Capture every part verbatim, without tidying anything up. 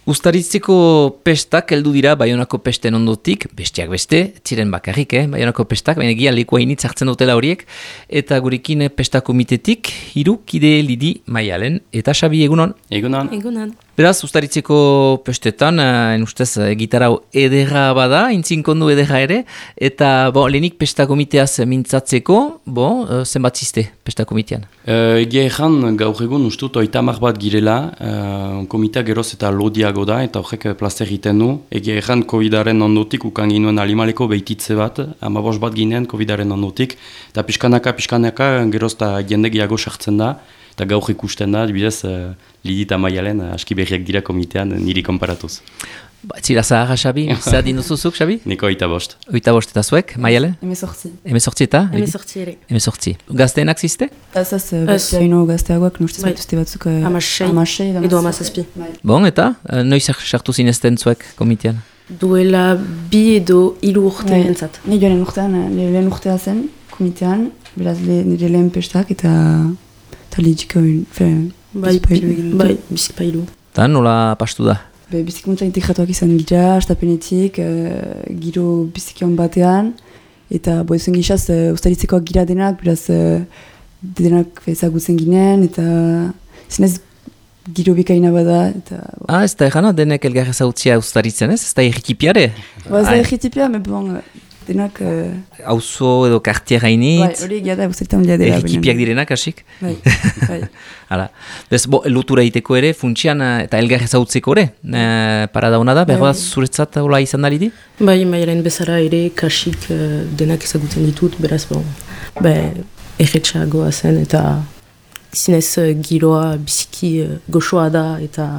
Uztaritzeko pestak heldu dira Baionako pesten ondotik, besteak beste, ziren bakarrik, eh? Baionako pestak, baina egia leku hainitz hartzen dutela horiek, eta gurekin pesta komitetik, hiru kide Lidi Maialen, eta Xabi egunon? Egunon. Egunon. Beraz, Uztaritzeko pestetan, en ustez, gitarau ederra bada, intzinkondu ederra ere, eta bo, lehenik pesta komiteaz mintzatzeko, bo, zenbat ziste pesta komitean? Uh, egia ezan, gaur egun ustut oitamak bat girela, uh, komitea geroz eta lodiago da, eta horrek plazer egiten du. Egia ezan, covidaren ondotik, ukan ginuen alimaleko behititze bat, amabos bat ginen covidaren ondotik, eta pixkanaka, pixkanaka, geroz eta jende gehiago sartzen da, eta gaur ikusten da, dibidez, uh, Lidi eta Maialen, uh, aski berriak dira komitean, uh, niri konparatuz. Ba, zira zaharra, Xabi? Zer dinuzuzuk, Xabi? Niko oita bost. Oita bost eta zuek, Maialen? Hemezortzi. Hemezortzi eta? Hemezortzi ere. Hemezortzi. Gazteenak ziste? Ez ez, baino gazteagoak nustez baituzte batzuk amasei edo amazazpi. Bon, eta? Noiz sartu zinezten zuek komitean? Duela bi edo hiru urte entzat. Ni joanen urtean, lehen urtea zen komitean, beraz nire lehen pestak eta lidiko bai, bai, bizipailu. Eta nola pastu da? Be, bizikuntza integratuak izan gira, astapenetik, uh, giro bizikion batean, eta bo ezen gizaz, uh, Uztaritzekoak gira denak, beraz uh, denak ezagutzen ginen, eta zinez giro bikaina bada. Eta, bo. Ah, ez da egana denek elgar ezautzia Uztaritzen ez? Ez da erritipiare? Ba, ez da erritipia, me bon, denak... Hauzo uh... edo kartier hainitz? Bai, hori egia da, Uztaritzen dira dela. Erritipiak direnak, hasik? Bai, bai. Hala, bez, bo, lotura egiteko ere, funtsian eta elgar ezautzeko ere, e, paradauna da, behar bat zuretzat hola izan da Lidi? Bai, Maialen bezala ere, kasik uh, denak ezagutzen ditut, beraz, bon, be, erretxagoa zen, eta zinez uh, giroa biziki uh, goxoa da, eta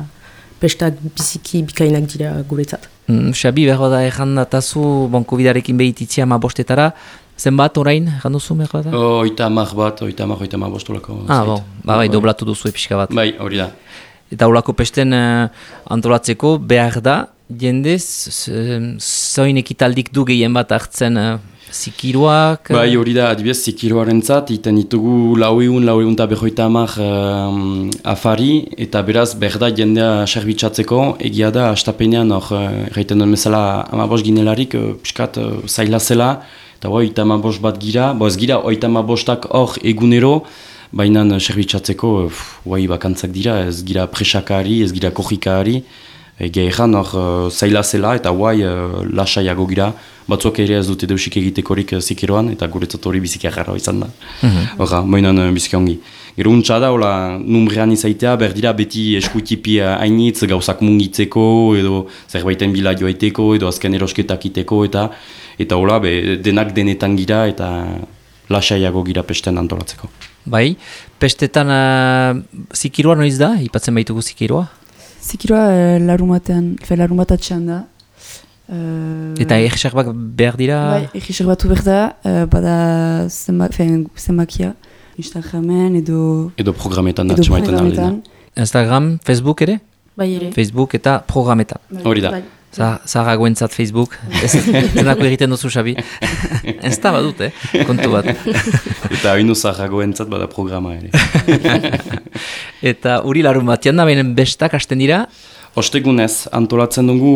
pestak biziki bikainak dira guretzat. Mm, Xabi, behar bat da errandatazu, bon, covidarekin behititzia ma bostetara, zenbat orain, erranduzu behar bat da? Oita amak bat, oita amak, oita amak bostolako. Ah, bon, ba, bai, doblatu duzu pixka bat. Bai, hori da. Eta holako pesten uh, antolatzeko behar da, jendez, zoin ekitaldik du gehien bat hartzen uh, zikiroak? Bai, hori da, adibidez, zikiroaren zat, iten ditugu laueun, laueun eta behoita amak uh, afari, eta beraz, behar da jendea serbitzatzeko, egia da, astapenean, hor, erraiten duen bezala, amabos ginelarik, uh, piskat uh, zaila zela, eta bai, oita amabost bat gira, bo ez gira, oita amabostak hor egunero, baina serbitzatzeko, bai, bakantzak dira, ez gira presakari, ez gira kojikari, egia ezan hor uh, zaila zela, eta bai, uh, lasaiago gira, batzuak ere ez dute deusik egitekorik uh, zikiroan, eta guretzat hori biziki agarra izan da. Horra, mm -hmm. uh, biziki ongi. Gero untsa da, hola, numbrean izaitea, berdira beti eskuitipi hainitz, gauzak mungitzeko, edo zerbaiten bila joaiteko, edo azken erosketak iteko, eta eta hola, be, denak denetan gira, eta lasaiago gira pesten antolatzeko. Bai, pestetan uh, zikiroa noiz da? Ipatzen baitugu zikiroa? Zikiroa uh, larumatean, larumatatxean da. Uh, eta egisak bak behar dira? Bai, egisak batu behar da, uh, bada zenbakia, Instagramen edo... Edo programetan edo programetan. Instagram, Facebook ere? Bai ere. Facebook eta programetan. Hori da. Bai. Zaharagoentzat Facebook, ez zenako egiten duzu, Xabi. Ez da badut, eh? Kontu bat. Eta hainu zaharagoentzat bada programa ere. Eta hori larun batian da, behin bestak hasten dira? Ostegunez, antolatzen dugu,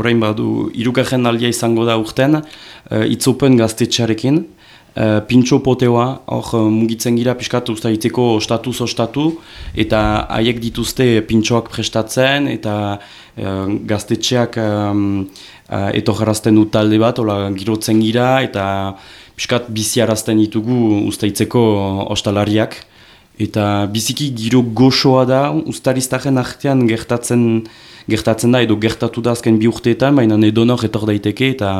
orain badu, irugarren aldia izango da urten, uh, itzopen gaztetxearekin, uh, pintxo poteoa, hor uh, mugitzen gira pixkat Uztaritzeko ostatuz ostatu, eta haiek dituzte pintxoak prestatzen, eta uh, gaztetxeak um, uh, etorrarazten du talde bat, hola girotzen gira, eta pixkat biziarazten ditugu Uztaritzeko ostalariak. Eta biziki giro goxoa da, Uztariztaren artean gertatzen, gertatzen da, edo gertatu da azken bi urteetan, baina edonor etor daiteke eta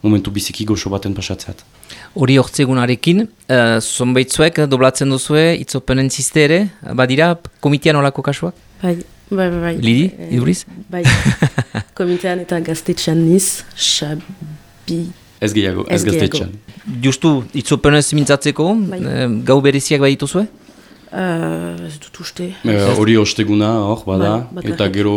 momentu biziki goxo baten pasatzeat. Hori hortzegunarekin, uh, zonbaitzuek doblatzen duzue, itzopenen ziste ere, badira komitean olako kasuak? Bai, bai, bai. Lidi, iduriz? Bai, komitean eta gaztetxean niz, Xabi... Ez gehiago, ez gaztetxean. Justu, itzopenez mintzatzeko, bai. Gau bereziak badituzue? Uh, ez dut uste. Hori uh, osteguna hor, bada, bai, eta gero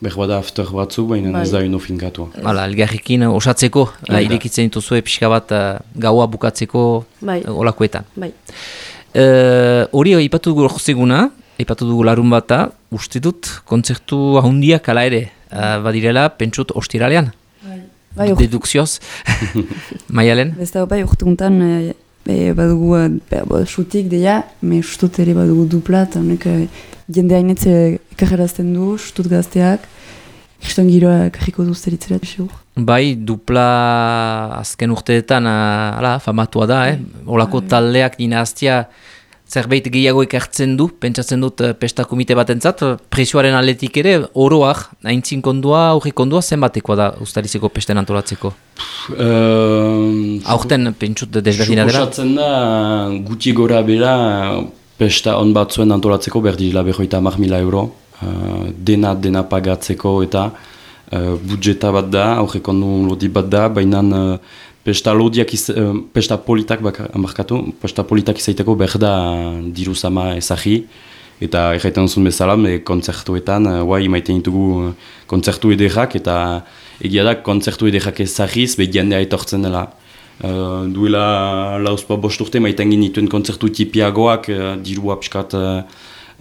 behar bada after batzu, baina bai. Ez da ino finkatua. Hala, elgarrekin osatzeko, bai. Irekitzen dituzue pixka bat uh, gaua bukatzeko bai. Olakoetan. Bai. Hori uh, ipatu dugu osteguna, Aipatu dugu larun bata, uste dut, kontzertu ahondiak ala ere, uh, badirela, pentsut ostiralean. Bai, dedukzioz. Maialen? Ez da, bai, urtuntan e, e, badugu e, xutik deia, me xutut ere badugu dupla, eta honek e, jende hainetze ekajerazten du, xutut gazteak, kriston giroa ekarriko duz teritzera, xur. Bai, dupla azken urteetan, uh, ala, famatua da, eh? Olako taldeak nina aztia, zerbait gehiago ekartzen du, pentsatzen dut pesta komite batentzat, presioaren aldetik ere, oroak, haintzin kondua, aurri kondua, zenbatekoa da Uztarizeko pesten antolatzeko? Uh, Aurten pentsut desberdina dela? Suposatzen da, guti gora bera, pesta on batzuen antolatzeko, berdila behoita hamar mila euro, uh, dena dena pagatzeko eta uh, budjeta bat da, aurri kondu lodi bat da, baina uh, Pesta lodiak, iz, uh, pesta politak markatu, pesta politak izaiteko behar da diru zama ezagi, eta erraiten zuen bezala, kontzertuetan, uh, guai maiten ditugu uh, kontzertu ederrak, eta egia da kontzertu ederrak ezagiz, behi jendea etortzen dela. Uh, duela lauzpa bost urte maiten ginituen kontzertu tipiagoak, uh, dirua piskat uh,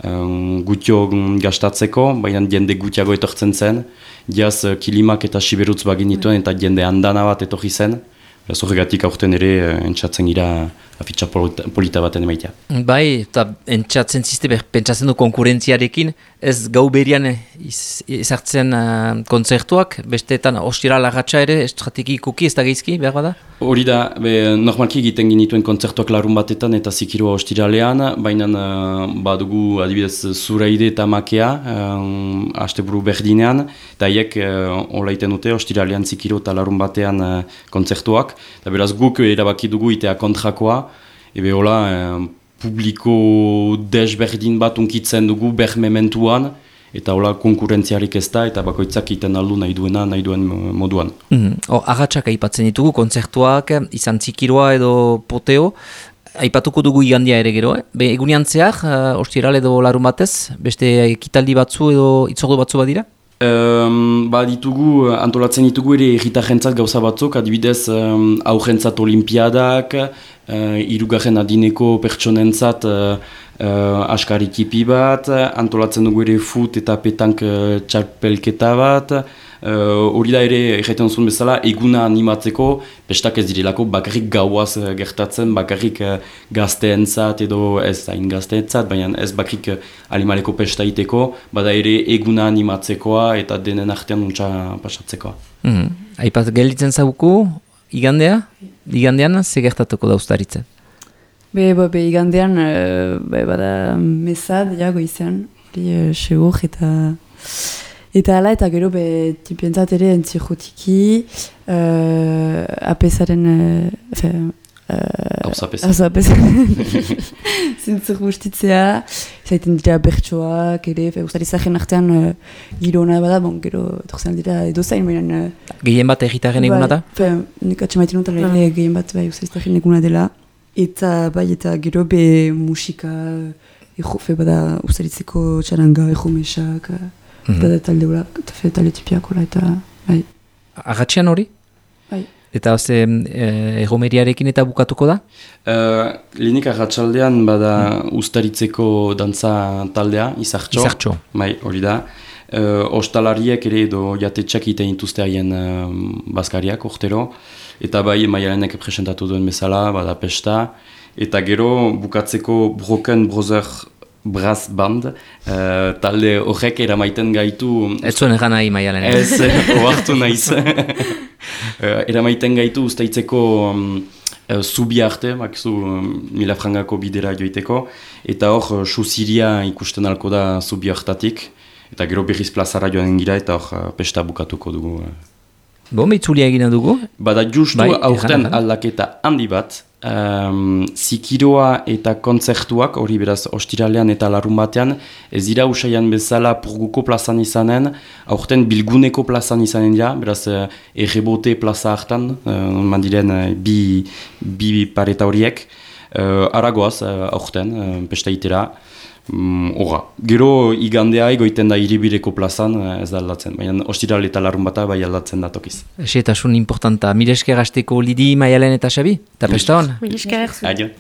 um, gutio gastatzeko, baina jende gutiago etortzen zen, diaz uh, kilimak eta siberutz bagin dituen, eta jende handana bat etorri zen. Zorregatik aurten ere entzatzen gira afitxa polita baten emaitea. Bai, eta entzatzen ziste, pentsatzen du konkurentziarekin, ez gau berian ezartzen uh, kontzertuak, besteetan ostira lagatxa ere, estrategikoki ez da geizki, behar bada? Hori da, be, normalki egiten ginituen kontzertuak larun batetan eta zikirua ostiralean, baina uh, badugu adibidez Zuraide eta Makea, um, asteburu berdinean, eta haiek uh, olaiten dute ostiralean zikiro eta larun batean uh, kontzertuak, eta beraz guk erabaki dugu itea kontrakoa, ebe hola, eh, publiko desberdin bat unkitzen dugu ber mementuan, eta hola konkurentziarik ez da, eta bakoitzak iten aldu nahi duena, nahi duen moduan. Mm-hmm. O, agatsak aipatzen ditugu, kontzertuak, izan zikiroa edo poteo, aipatuko dugu igandia ere gero, eh? Be, egunean zehar, uh, ostiral edo larun batez, beste ekitaldi batzu edo itzordu batzu badira? Um, ba ditugu, antolatzen ditugu ere erritajentzat gauza batzuk, adibidez um, aurrentzat olimpiadak, uh, irugarren adineko pertsonentzat uh, uh, askarikipi bat, antolatzen dugu ere fut eta petank uh, txarpelketa bat, hori uh, da ere erraiten zuen bezala eguna animatzeko, pestak ez direlako bakarrik gauaz uh, gertatzen, bakarrik uh, gazteentzat edo ez hain gazteentzat, baina ez bakarrik uh, animaleko pesta iteko, bada ere eguna animatzekoa eta denen artean untsa pasatzekoa. Mm-hmm. Aipat gelditzen zauku, igandea? Igandean, ze gertatuko da Uztaritzen? Be, be, be igandean, uh, be, bada mesad, ja, goizean, hori uh, segur eta... Eta ala, eta gero, be, tipientzat ere entzirrotiki, uh, apesaren... Uh, Hauza apesa. Hauza apesa. Zintzuk bustitzea, zaiten dira bertsoak, ere, Uztarizaren artean uh, giro hona bada, bon, gero, etorzen dira edo zain, baina... Uh, gehien bat egitaren eguna da? Bai, nik atxemaiten dut, ala, gehien bat bai, Uztarizaren eguna dela. Eta, bai, eta gero, be, musika, ego, fe, bada, Uztarizeko txaranga, ego mesak... Mm-hmm. Eta talde horak, eta talde tipiakola, eta bai. Agatxean hori? Bai. Eta ze eh, erromeriarekin eta bukatuko da? Uh, Lehenik agatxaldean bada mm. Uztaritzeko dantza taldea, izartxo. Izartxo. Bai, hori da. Uh, ostalariek ere edo jatetxak iten dituzte haien uh, bazkariak, urtero. Eta bai, Maialenek presentatu duen bezala, bada pesta. Eta gero bukatzeko Broken Brother Brass Band, uh, talde horrek eramaiten gaitu... Ez zuen egan nahi, Maialen. Ez, oartu nahiz. uh, eramaiten gaitu Uztaitzeko um, uh, zubi arte, bakizu um, mila frangako bidera joiteko, eta hor, uh, suziria ikusten alko da zubi hartatik, eta gero berriz plazara joan gira, eta hor, uh, pesta bukatuko dugu. Bon, beitzulia egina dugu? Bada justu bai, aurten aldaketa handi bat, um, zikiroa eta kontzertuak, hori beraz ostiralean eta larun batean, ez dira usaian bezala purguko plazan izanen, aurten bilguneko plazan izanen dira, beraz uh, errebote plaza hartan, uh, mandiren uh, bi, bi pareta horiek, uh, aragoaz uh, aurten, uh, pesta itera. Horra, mm, gero igandea egoiten da hiribireko plazan, ez da aldatzen, baina ostiral eta larun bata bai aldatzen da tokiz. Ese eta sun importanta, mire esker hasteko Lidi, Maialen eta Xabi, eta pesta hon? Mire esker. Adio.